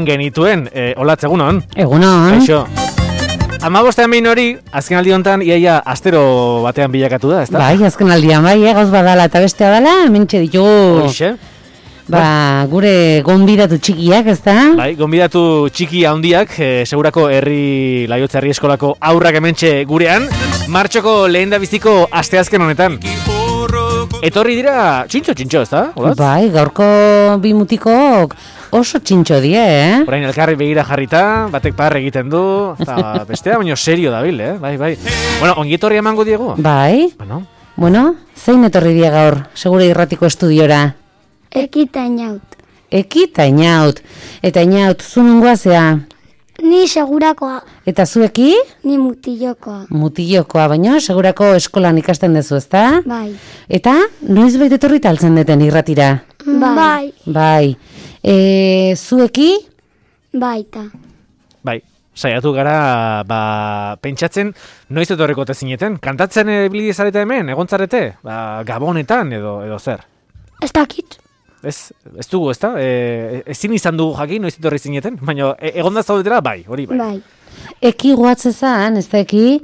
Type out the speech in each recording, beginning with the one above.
Genituen, olatz egunon. Egunon. Aixo. 15 behin hori, azken aldi honetan, iaia astero batean bilakatu da, ezta? Bai, azken aldian, bai, gauz badala eta bestea dala, hementxe ditugu. Horixe. Gure gonbidatu txikiak, ezta? Bai, gonbidatu txiki handiak, segurako Laiotze herri eskolako aurrak hementxe gurean, martxoko lehen da biziko asteazken honetan. Etorri dira txintxo, ezta? Bai, gaurko bi mutikok oso txintxo die, Orain elkarri begira jarrita, batek parre egiten du, eta bestea, baina serio dabil, Bai. Bueno, ongi etorri emango diegu? Bai. Bueno, zein etorri die gaur, segure irratiko estudiora? Ekita inaut. Ekita inaut. Eta inaut, zu nungoa zea? Ni segurakoa. Eta zueki? Ni mutillokoa. Mutillokoa, baina segurako eskolan ikasten dezu, ezta? Bai. Eta, noiz baita etorri taltzen deten irratira? Bai. Bai. Zueki? Baita. Bai. Saiatu gara, pentsatzen, noiz etorreko zineten? Kantatzen ibili zarete hemen, egontzarete? Gabonetan edo zer? Ez dakit. Ez dugu, ezta? Ezin izan dugu jakin, noiz etorri zineten? Baina, egonda zaudetela, bai, hori bai. Bai. Eki guatzezan, ez da eki,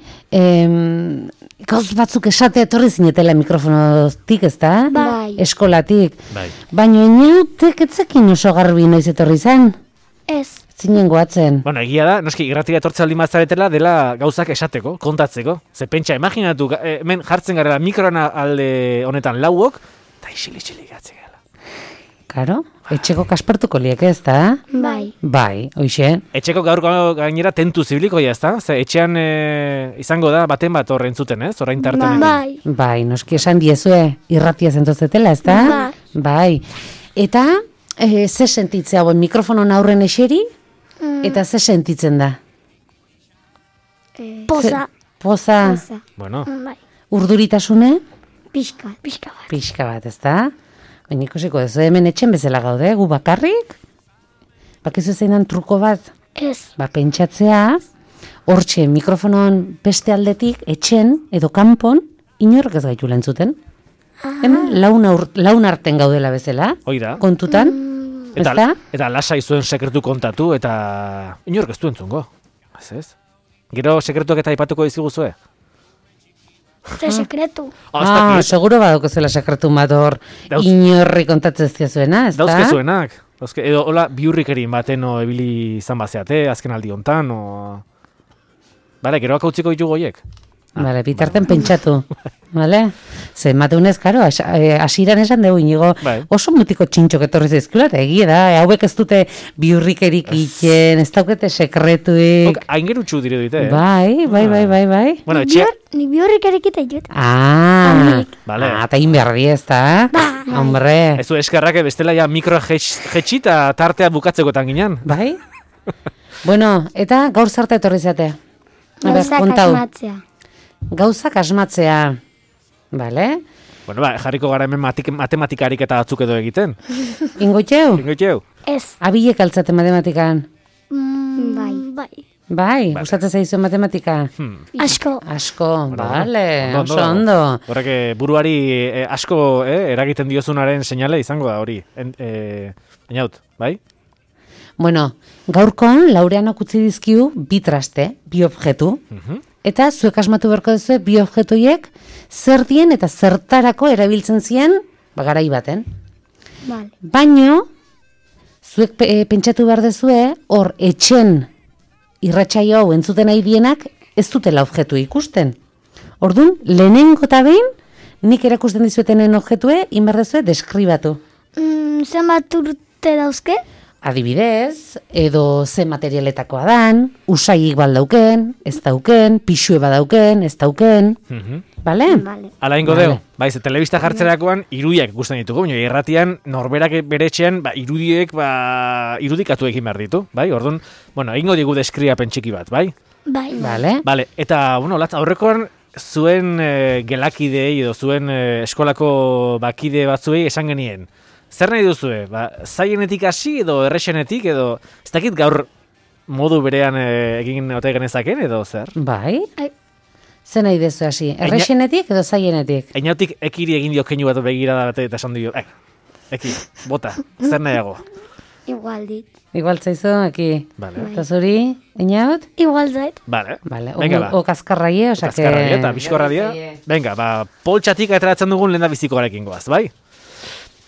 gauz batzuk esate etorri zinetela mikrofonotik, ez da? Bai. Eskolatik. Bai. Baina inautek etzekin oso garbi noiz etorri zen? Ez. Zinen guatzen. Bueno, egia da, noski, irratira etortze aldi mazaretela dela gauzak esateko, kontatzeko. Ze pentsa, imaginatu, hemen jartzen garela mikroana alde honetan lauok, eta isili gatzen. Karo, etxeko kaspertuko liek, ez da? Bai. Bai, hoxe. Etxeko gaur gainera tentu zibiliko ez da? Ze etxean izango da baten bat horren zuten, ez? Orain tartenekin. Bai. Bai, noski esan diezue irratia zentozetela, ez da? Bai. Eta, ze sentitzea hauen mikrofonon aurren eseri? Eta ze sentitzen da? Poza. Poza. Bueno. Bai. Urduritasune? Pixka bat. Pixka bat, ez da? Baina ikusiko, ez hemen etxen bezala gaude, gu bakarrik? Bakizu zeinan truko bat? Ez. Pentsatzea, hortxe mikrofonon beste aldetik, etxen edo kanpon, inork ez gaitu lentzuten. Hemen laun arten gaudela bezala, kontutan. Eta lasai zuen sekretu kontatu, eta inork ez du entzungo. Ez? Gero sekretuak eta aipatuko diziguzue? Ze sekretu. Seguro badauko zela sekretu bat hor inorri kontatzen zuena, ez da? Dauzkezuenak. Edo, hola, biurrikerin bateno ebili izan bazeate, azken aldi hontan, Bale, geroak utziko ditugu goiek? Bale, bitarten pentsatu. Bale? Ze, mateunez, karo, asiran esan dugu inigo, oso mutiko txintxok etorri zaizkula, eta egia da, hauek ez dute biurrikerik iten, ez daukete sekretuik. Aingerutxu dire dute, Bai. Bueno, Ni biurrikerik iten jut. Eta inberri ez da? Hombre. Ez du eskerrak bestela ja mikro jetxi eta tartea bukatzekotan ginen. Bai? Bueno, eta gaur zarta etorri zate? Gauzak asmatzea. Bale? Bueno, jarriko gara hemen matematikarik eta batzuk edo egiten. Ingoitxeu? Ez. Abilek altzate matematikan? Bai. Bai, gustatzen zaizu matematika? Asko, bale, oso ondo. Horrek buruari asko eragiten diozunaren seinale izango da hori. Einaut, bai? Bueno, gaurkoan Laureanok utzi dizkiu bi traste, bi objektu. Eta zuek asmatu beharko duzu bi objektuiek zer dien eta zertarako erabiltzen zien garai baten. Vale. Baino, zuek pentsatu behar duzue, hor etxen irratsaio hau entzuten nahi dienak ez dutela objektu ikusten. Orduan, lehenengo eta behin, nik erakusten dizuetenen objektue, inberdezue deskribatu. Zenbat urte dauzke? Adibidez, edo ze materialetakoa dan, usaiik baldauken, ez dauken, pixue badauken, ez dauken. Bale? Ala ingo deo, baiz, telebista jartzerakoan irudiak ikusten ditugu, baina irratian norberak bere etxean irudiek irudikatu egin behar ditu, bai? Orduan, bueno, ingo digu deskriapen txiki bat, bai? Bai. Bale. Eta, bueno, latz, aurrekoan zuen gelakidei edo zuen eskolako bakide batzuei esan genien. Zer nahi duzue? Zaienetik hasi edo errexenetik edo ez dakit gaur modu berean egin ote genezaken edo zer? Bai. Zer nahi dezu hasi? Errexenetik edo zaienetik? Einautik ekiri egin dio keinu bat begirada bat eta esan dio, eki, bota, zer nahiago? Igual dit. Igual zaizu, aquí. Vale. Eta zuri, Einaut? Igual zait. Vale. Vale, Venga, ba. o kaskarraie, osea que... Kaskarradia eta bizkorradia. Venga, poltsatik ateratzen dugun lehen da bizikoarekin goaz, bai?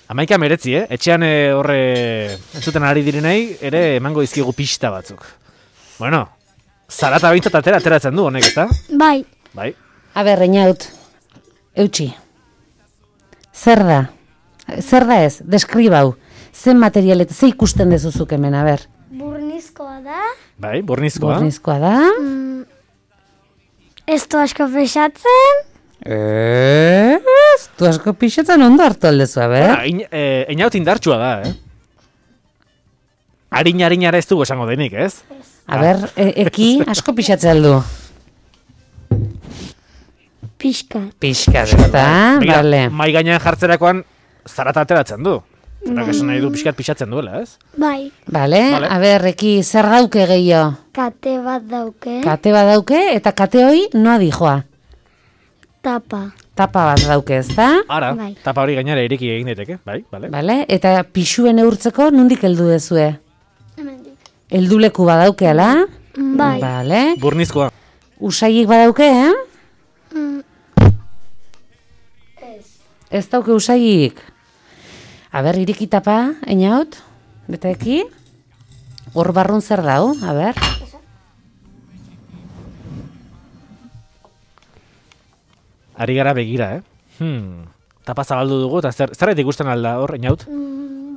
11 Etxean horre entzuten ari direnei ere emango dizkigu pista batzuk. Bueno, zarata bintzat ateratzen du honek, ezta? Bai. Bai. A ber, Einaut, eutxi. Zer da? Zer da ez? Deskribau. Zen material eta ze ikusten dezuzuk hemen, a ber. Burnizkoa da. Bai, bornizkoa. Bornizkoa da. Ez du asko pesatzen. Du asko pixetzen ondo hartu aldezu, a ber. Einaut indartsua da, Harinara ez dugu esango denik, ez? A ber, eki asko pixatzen aldu. Pixkat. Pixkat, ez da? Begira, Vale. mai gainean jartzerakoan zarata ateratzen du. Eta esan nahi du pixkat pixatzen duela, ez? Bai. Vale, Vale. a ber, eki, zer dauke gehiago? Kate bat dauke. Kate bat dauke, eta kate hoi noa dijoa. Tapa. Tapa bat dauke, ez da? Ara, Bai. tapa hori gainera ireki egin daiteke, bai, bale. Vale, eta pixuen eurtzeko nundik heldu dezue? Hemendik. Helduleku badauke, ala? Bai. Vale. Burnizkoa. Usaiik badauke, Ez. Ez dauke usaiik. A ber, iriki tapa, Einaut? Eta eki? Hor barrun zer dau, a ber? Ari gara begira, Tapa zabaldu dugu, eta zerret ikusten alda hor, Einaut?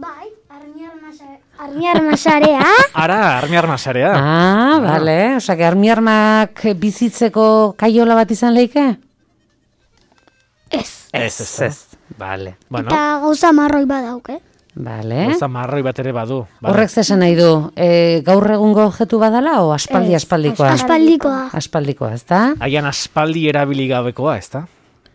Bai. Armiarmasarea. Ara, armiarmasarea. Ah, vale. Osa, que armiarmak bizitzeko kaiola bat izan leike? Ez. Ez. Vale. Bueno, Eta gauza marroi badauke. Vale. gauza marroi bat ere badu. Vale. Horrek zesan nahi du, gaur egungo objektu badala o aspaldikoa? Aspaldikoa. Aspaldikoa, ez da? Agian aspaldi erabili gabekoa, ez da?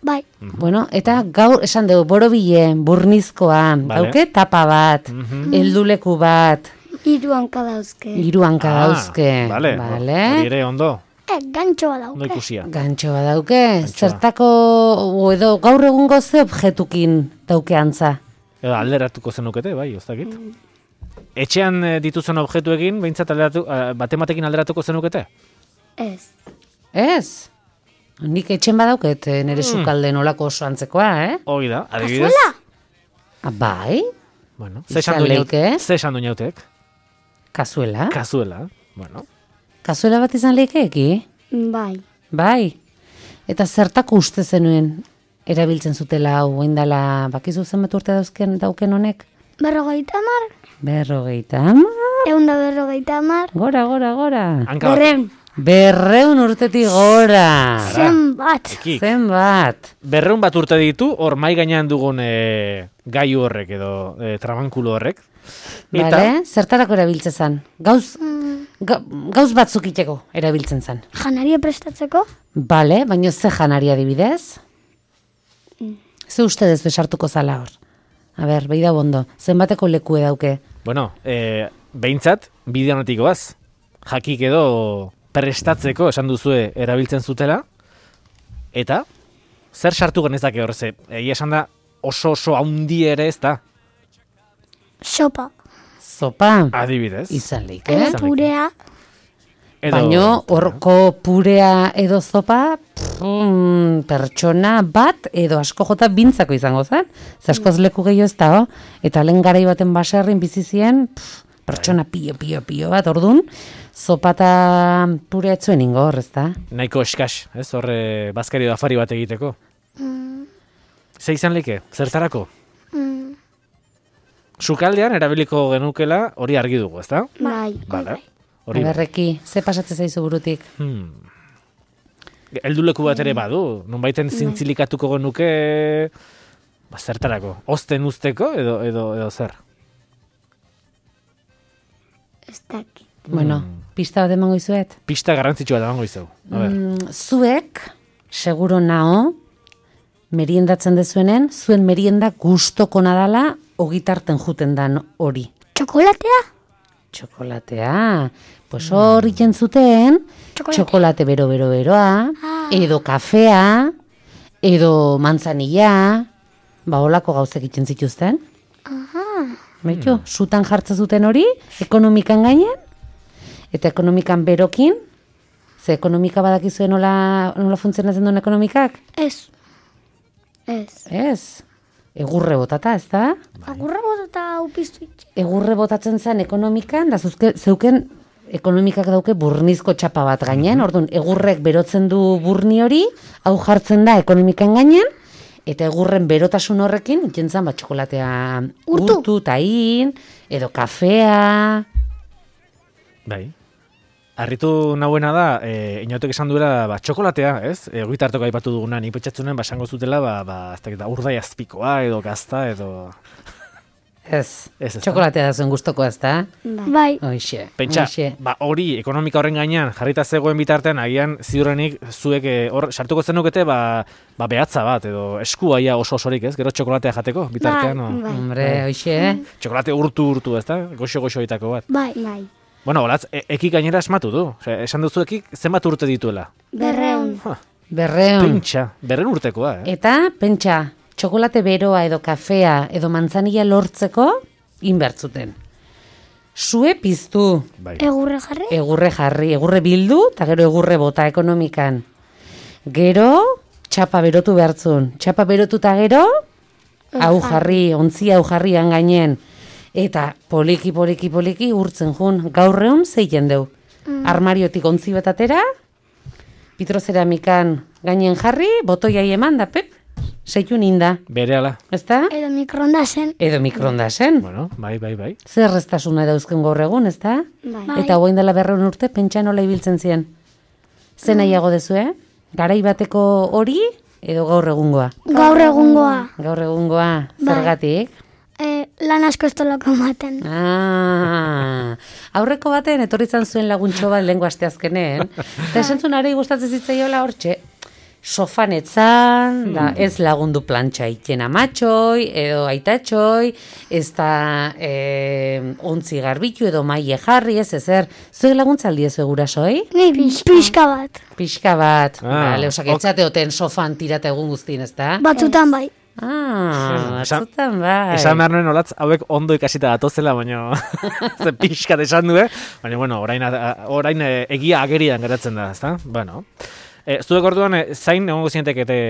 Bai. Bueno, eta gaur esan dugu, borobile, burnizkoa, Vale. dauke tapa bat, helduleku bat, 3 hanka dauzke. 3 hanka dauzke. Vale. Vale. Hori ere ondo, Gantxoa ondo dauke. ikusia. Gantxo bat dauke, zertako, edo gaur egungo ze objektukin dauke antza. Edo alderatuko zenukete, bai, oztakit. Etxean dituzen objektuekin, behintzat batematekin alderatuko zenukete? Ez. Ez? Nik etxen badauket nire sukalde nolako oso antzekoa, Hoi da, adibidez. Ah, bai? Bueno, Izan leike. ze esan du inautek? Kazuela? Kazuela, bueno. Kazuela bat izan leikeeki? Bai. Bai. Eta zertako uste zenuen erabiltzen zutela hau indala bakizu zenbat urte dauken honek? 50. 50? 150. Gora. Hanka bat. 200. 200 urtetik gora. Zenbat. Ekik. Zenbat? 200 bat urte ditu, hor mai gainean dugun gaiu horrek edo trabankulu horrek. Bale, zertarako erabiltzen zan? Gauz batzuk iteko erabiltzen zan. Janaria prestatzeko? Bale, baina ze janari adibidez? Ze uste dezu esartuko zala hor? A ber, behi da bondo, zenbateko lekue dauke? Bueno, behintzat, bide honetik goaz. Jakik edo prestatzeko esan duzue erabiltzen zutela. Eta, zer sartu genezake hor ze? Egia esan da oso haundi ere ez da. Sopa. Zopa? Adibidez. Izan leik, Edo purea. Baino, horko purea edo zopa, pertsona bat edo asko jota bintzako izango zen. Zaskoz leku gehiago ez da, eta lehen garai baten baserrin bizizien, pertsona pio bat, ordun, zopa eta purea etzuen ingo hor, ez da? Nahiko eskas, ez? Horre bazkari edo afari bat egiteko. Ze izan leike? Zertarako? Sukaldean erabiliko genukela hori argi dugu, ez da? Bai. Vale. Hori bai. Berreki, ze pasatzen zaizu burutik? Helduleku bat ere badu, nonbaiten zintzilikatuko genuke zertarako? Ozten usteko edo zer? Ez dakit. Bueno, pista bat emango izuet? Pista garrantzitsua da bango izau. A ber. Zuek, seguro nao, meriendatzen dezuenen, zuen merienda gustoko nadala ogitarten juten dan hori. Txokolatea? Txokolatea. Pues hor iten zuten, txokolate beroa, edo kafea, edo manzanilla, ba holako gauzek iten zituzten. Beitu, sutan jartzen zuten hori, ekonomikan gainean, eta ekonomikan berokin, ze ekonomika badakizuen nola funtzionatzen duen ekonomikak? Ez. Ez. Egurre botata, ez da? Agurra botata upiztu itxe. Egurre botatzen zen ekonomikan, da zeuken ekonomikak dauke burnizko txapa bat gainean, orduan egurrek berotzen du burni hori, hau jartzen da ekonomikan gainean, eta egurren berotasun horrekin, jentzan bat txokolatea urtu, tahin, edo kafea. Bai. Arritu nahuena da, inautek esan duela, txokolatea, ez? Goitartoko aipatu duguna, nik petxatzunen, esango zutela, ez dakit, urdai azpikoa, edo gazta, edo... Ez, Ez, txokolatea da zuen gustoko, ez da? Bai. Hoixe. Pentsa, hori ekonomika horren gainean jarrita zegoen bitartean, agian ziurrenik zuek hor sartuko zenukete behatza bat, edo eskuaia oso-osorik, ez? Gero txokolatea jateko bitartean. Bai. Hombre, hoixe. Txokolate urtu, ez da? Goxo-goxoitako bat. Bai. Bueno, holatz, ekik gainera esmatu du. Esan duzu ekik zenbat urte dituela. 200. 200. Pentsa, 200 urtekoa, Eta, pentsa, txokolate beroa edo kafea edo mantzanilla lortzeko inbertzuten. Sue piztu, Bai. Egurre jarri. egurre bildu, eta gero egurre bota ekonomikan. Gero, txapa berotu behartzun. Txapa berotu eta gero, hau jarri, ontzia hau jarrian gainen. Eta poliki urtzen jun. Gaur egun zeiten deu. Armariotik ontzi betatera, pitroceramikan gainen jarri, botoiai eman da, pep, seitun inda. Berehala. Ezta? Edo mikrondasen. Edo mikrondasen. Bueno, bai. Zer erraztasuna dauzken gaur egun, ezta? Bai. Eta hogein dela 200 urte, pentsa nola ibiltzen ziren. Zer nahiago dezue? Garai bateko hori, edo gaur egungoa? Gaur egungoa. Gaur egungoa, zergatik? Lan asko ez tolako ematen. Aurreko baten etorri izan zuen laguntxo bat lehengo asteazkenen, eta esan zuen arei gustatzen zitzaiola hortxe, sofan etzan, da ez lagundu plantxa iten amatxoi, edo aitatxoi, ez da ontzi garbitu edo maile jarri, ez ezer. Zuek laguntzaldi ez gurasoi? Ni pixka bat. Pixka bat, Ah, osak etxateoten sofan tirata egun guztien, ez da? Batzutan bai. Batzutan bai. Esan behar nuen olatz, hauek ondo ikasita datozela, baina ze pixkat esan du, baina, bueno, orain egia agerian geratzen da, ezta? Bueno, zuek orduan zain egongo zientekete,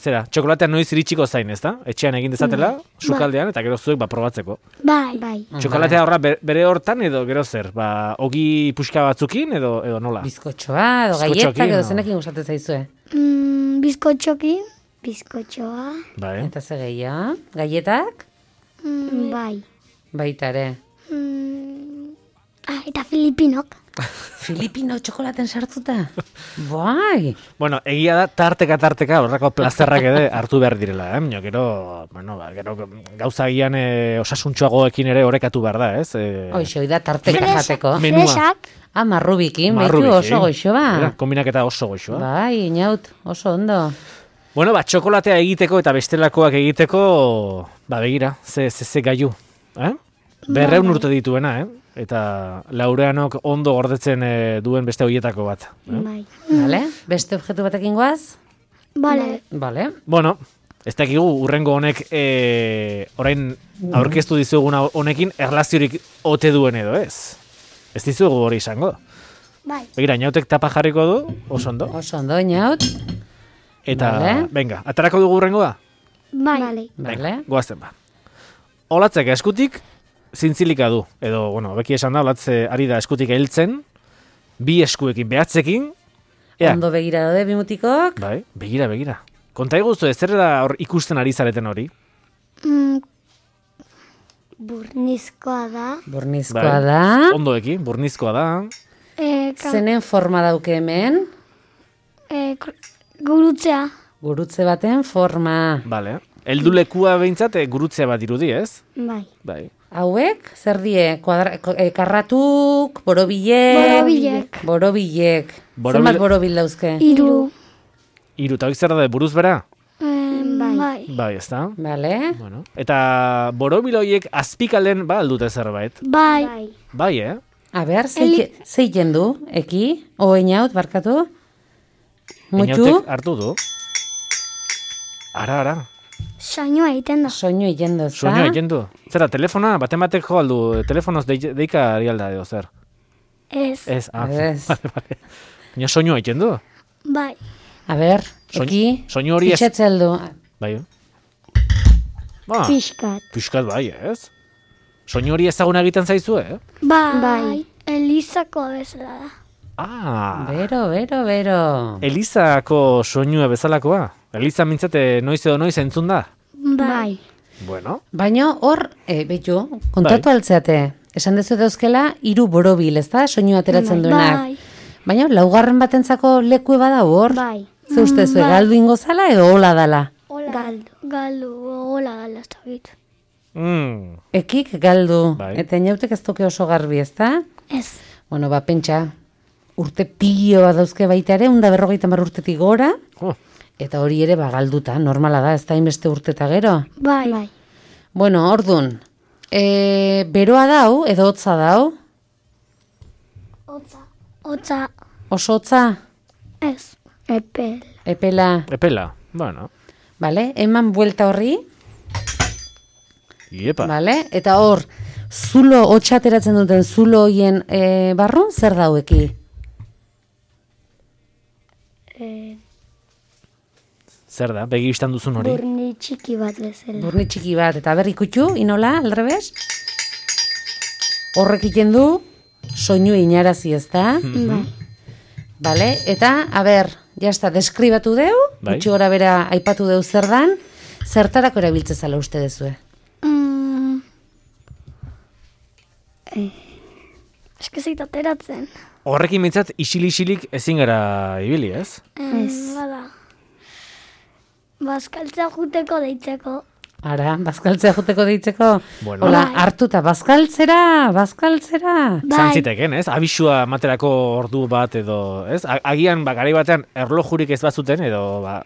zera, txokolatea noiz iritsiko zain, ezta? Etxean egin dezatela, sukaldean, eta gero zuek probatzeko. Bai. Txokolatea horra bere hortan edo gero zer? Ogi puxka batzukin edo nola? Bizkotxoa, edo Bizkotxoekin, gaietak, edo no? zenekin gustatzen zaizue. Bizkotxokin. Bizkotxoa. Bai. Eta ze gehiago? Gaietak? Bai. Baitare. Eta Filipinok. Filipino txokolaten sartuta? Bai. Bueno, egia da tarteka horrako plazerrak ere hartu behar direla, Gero, bueno, gero gauza gian osasuntxoagoekin ere orekatu behar da, ez? Hoxe, da tarteka jateko. Menua. Fresak. Marrubikin, baitu Marrubikin. oso goxoa. Kombinaketa oso goxoa. Bai, inaut, oso ondo. Bueno, txokolatea egiteko eta bestelakoak egiteko, begira, ze gaiu, 200 urte dituena, Eta Laureanok ondo gordetzen duen beste hoietako bat. Bai. Vale? Beste objektu batekin goaz? Bale. Vale. Bueno, ez dakigu urrengo honek orain aurkeztu dizuguna honekin erlaziorik ote duen edo ez. Ez dizugu hori izango. Bai. Begira, Inautek tapa jarriko du, oso ondo. Oso ondo, inaut. Eta, Vale. venga, atarako dugu urrengoa? Bai. Vale. Goazen ba. Olatzek eskutik zintzilika du. Edo, bueno, beki esan da, olatze ari da eskutik hiltzen, bi eskuekin behatzekin. Ea, Ondo begira daude bimutikok. bai, begira. Konta iguzu, ez zer da hor ikusten ari zareten hori? Burnizkoa da. Burnizkoa da. Ondoekin, burnizkoa da. Zenen forma dauke hemen? Gurutzea. Gurutze baten forma. Bale. Eldulekua behintzat gurutzea bat irudi, ez? Bai. Bai. Hauek, zer die? Karratuk, borobilek. Borobilek. Zenbat borobil dauzke? 3. Hiru, eta hori zer da, buruz bera? Bai. Bai, ez da? Vale. Bueno. Eta borobiloiek azpikalen aldute zerbait. Bai. Bai, A ber, zeiten du, eki? Oeinaut, barkatu? Mutxu? Inautek hartu du. Ara. Soinua egiten da. Soinu egiten du, ezta? Soinua egiten du. Zera, telefona, batek jo aldu, telefonoz deika ari alda edo zer? Ez. Ez, Ez. Vale. Baina soinua egiten du. Bai. A ber, eki, soinu hori ez... fitxatze aldu. Bai. Ba, Piskat. piskat bai, ez? Soinu hori ezaguna egiten zaizu, Bai. Elizako bezala da. Ah, Bero. Elizako soinua bezalakoa? Eliza mintzate noiz edo noiz entzun da? Bai. Bueno, Baina hor, behitu, kontatu altzeate, esan dezu dauzkela, 3 borobil, ezta? Soinu ateratzen duenak. Bai. Baina laugarren batentzako leku bada hor? Bai. Ze uste zuen, galdu ingo zala edo hola dala? Galdu, hola gala ez dakit. Ekik galdu, Bai. eta inautek ez toke oso garbi, ezta? Ez. Bueno, pentsa, urte pilo bat dauzke baita ere, 150 urtetik gora, eta hori ere galduta, normala da, ez da inbeste urteta gero. Bai. Bueno, ordun, beroa dau, edo hotza dau? Hotza. Oso hotza? Ez. Epel. Epela, Epela, bueno, vale? Eman buelta horri, iepa. vale? Eta hor, zulo hotxa ateratzen duten zulo hoien barrun, zer daueki? Zer da, begi bistan duzun hori? Burni txiki bat bezala. Burni txiki bat, eta berri kutxu, inola, aldrebes? Horrek iten du, soinu inarazi, ez da? Bai. Vale? Eta, jazta, deskribatu deu, Bai. gutxi gora bera aipatu deu zer dan, zertarako erabiltze zala uste dezue? Eskizit ateratzen. Horrekin mintzat, isilik ezin gara ibili, ez? Ez. Bada. Bazkaltzea juteko deitzeko. Ara, bazkaltzea juteko deitzeko? Bueno. Hola, Bai. hartuta, bazkaltzera. Zantziteken, ez? Abisua materako ordu bat edo, ez? Agian, garai batean, erlojurik ez bazuten, edo,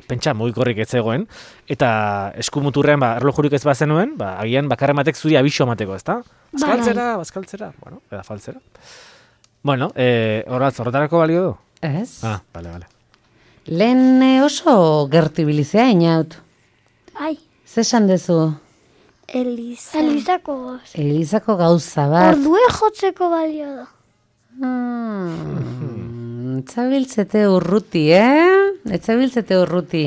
pentsa, mugikorrik ez zegoen, eta eskumuturrean, erlojurik ez bazenuen, agian, bakarren batek zuri abisua mateko, ez da? Bazkaltzera, bueno, eda faltzera. Bueno, horretarako balio du? Ez? Ah, bale. Lehen oso gertu ibilizea, inaut. Ai. Zesan dezu? Elizako goz. Elizako gauza bat. Ordue jotzeko balio da. Etzabiltzete urruti, Etzabiltzete urruti.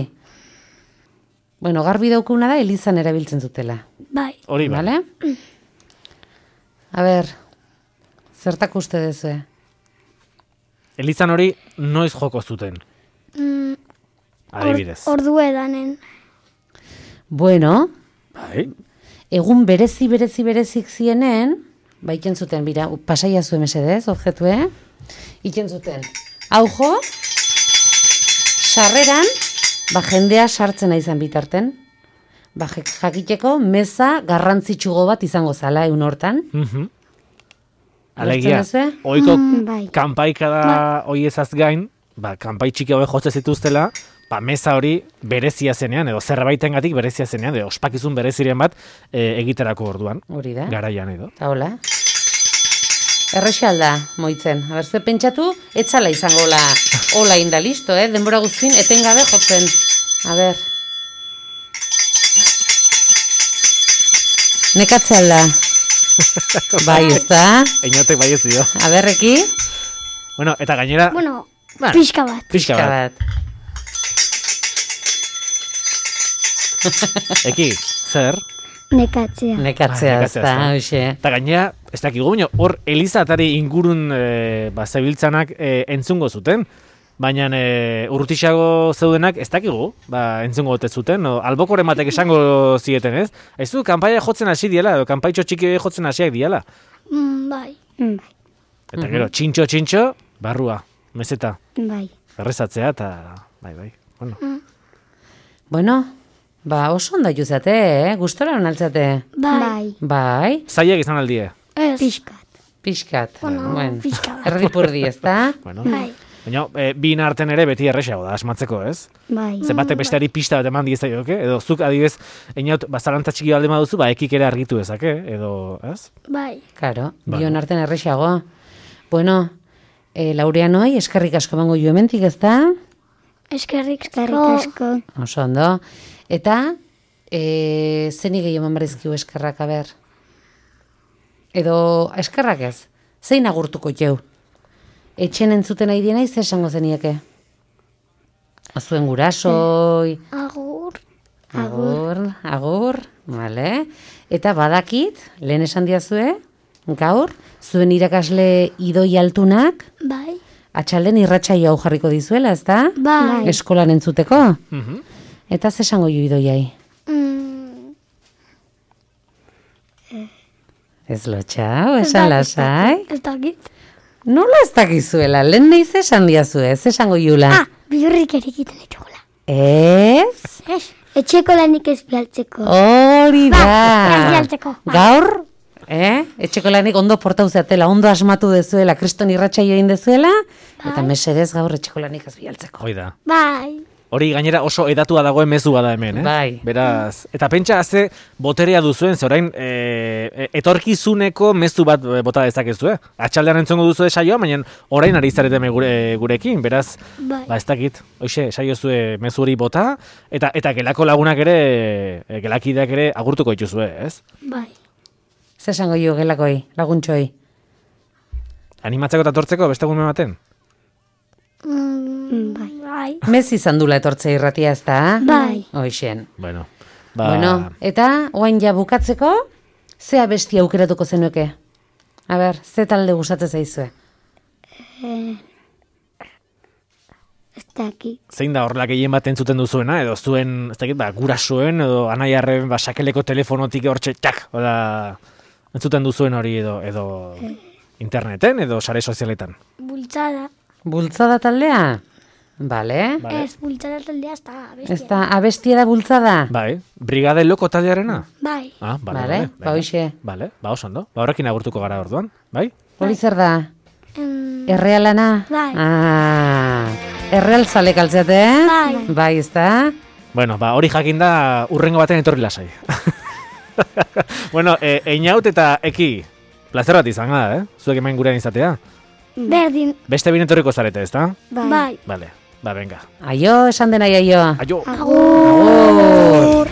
Bueno, garbi daukuna da Elizan erabiltzen zutela. Bai. Hori bai. Vale? A ber, zertak uste dezue? Elizan hori noiz joko zuten. Adibidez. Ordu edanen. Bueno, Bai. egun berezik zienen, iken zuten, bira, pasaia zuen mesedez, objetue, iken zuten. Hau jo, sarreran, jendea sartzen izan bitarten, jakiteko meza garrantzitsugo bat izango zala egun hortan. Alegia, Ulertzen duzu? oiko Bai. kanpaikada hoiezaz gain, kanpai txiki hauek jotze zituztela, meza hori berezia zenean, edo zerbaitengatik berezia zenean, edo ospakizun bereziren bat egiterako orduan. Hori da. Garaian edo. Eta hola. Errexalda, moitzen. Zue pentsatu, etzala izango hola inda, listo, denbora guztin, etengabe jotzen. A ber. Nekatzealda. Bai, ez da? Einotek bai ez dio. A berreki. Bueno, eta gainera... Bueno, Bueno, pixka bat. Pixka bat. Eki, zer? Nekatzea. Nekatzea, ez da, hoxe. Eta gainera, ez dakigu, hor Eliza atari ingurun zebiltzanak entzungo zuten, baina urrutixago zeudenak ez dakigu, entzungo gote zuten, albokoren batek esango zieten, ez? Ez du, kanpaia jotzen hasi diela, edo kanpaitxo txiki jotzen hasiak diela. Bai. Eta gero, txintxo, barrua, meseta, Bai. errezatzea, eta bai. Bueno, oso ondo juzate, gustora honaltzate. Bai. Bai, Zaiak izan aldie. Ez. Pixkat. pixkat. Bueno, pixka bat. Erdipurdi, ez da? Bueno, Bai. baina, bin arten ere beti erresago da, asmatzeko, ez? Bai. Zenbatek besteari pista bat eman diezaioke, edo zuk adibidez, einaut, zalantza txiki balde baduzu, ekik ere argitu dezake, edo, ez? Bai. Karo, Bueno. bion arten errexago. Bueno, Laureanoi, eskerrik asko emango jo hementik, ez da? Eskerrik asko. Oso ondo. Eta, Zeni gehiago eman barizkiu eskerrak, aber? Edo eskerrak ez? Zein agurtuko jau? Etxen entzuten nahi dienai, ze esango zenieke? Azuen gurasoi... Agur, vale. Eta badakit, lehen esan diazue, gaur, zuen irakasle idoi altunak, Bai. atxalden irratsaio hau jarriko dizuela, ezta? Bai. Eskolan entzuteko. Mhm. Eta ze esango ju idoiai? Ez lotxau, esan lasai. Ez dakit. Nola ez dakizuela, lehen nahi ze esan diazue, ze esango jula? Bihurrik erikiten ditugula. Ez? Ez? Etxeko lanik ez bialtzeko. Hori da. ez bialtzeko. Gaur, etxeko lanik ondo portau zeatela, ondo asmatu dezuela, kriston irratsaio egin dezuela, eta mesedez gaur etxeko lanik ez bialtzeko. Hoi da. Bai. Hori gainera oso edatua dagoen mezua da hemen, Bai. Beraz, eta pentsa ze boterea duzuen, ze orain etorkizuneko mezu bat bota dezakezu, Atxaldean entzongo duzu saioa, baina orain ari zarete gurekin, beraz, Bai. ba ez dakit, hoxe, saio zue mezu hori bota, eta gelako lagunak ere, gelakideak ere agurtuko dituzue, ez? Bai. Ze esango jo gelakoi, laguntxoi? Animatzeko eta tortzeko beste egun baten? Bai. Bai. Mez izan dula etortzea irratia ez da? Bai. Hoixen. Bueno, Bueno, eta oain ja bukatzeko, ze abesti aukeratuko zenuke? A ber, ze talde gustatzen zaizue? Ez dakit. zein da horrela gehien bat entzuten duzuena, edo zuen, ez dakit, gurasoen, edo anaiarren, sakeleko telefonotik hortxe, txak, hola, entzuten duzuen hori, edo interneten, edo sare sozialetan. Bultzada. Bultzada taldea? Bale. Vale. Ez, bultzada taldea ez da abestia. Ez da abestia da bultzada? Bai, Brigade Loko taldearena? Bai. Ah, Vale, bale. ba hoxe. Bale, ba oso ondo. Ba horrekin agurtuko gara orduan, bai? Hori zer da? Em, Errealana? Bai. Erreal zalek altzeate, eh? Bai. Bai, ez da? Bueno, ba hori jakinda urrengo baten etorri lasai. Bueno, Einaut eta Eki, plazer bat izan da, Zuek hemen gurean izatea. Berdin. Beste bine etorriko zarete, ezta? Bai. Bale, ba venga. Aio, esan dena aio. Aio! Agur.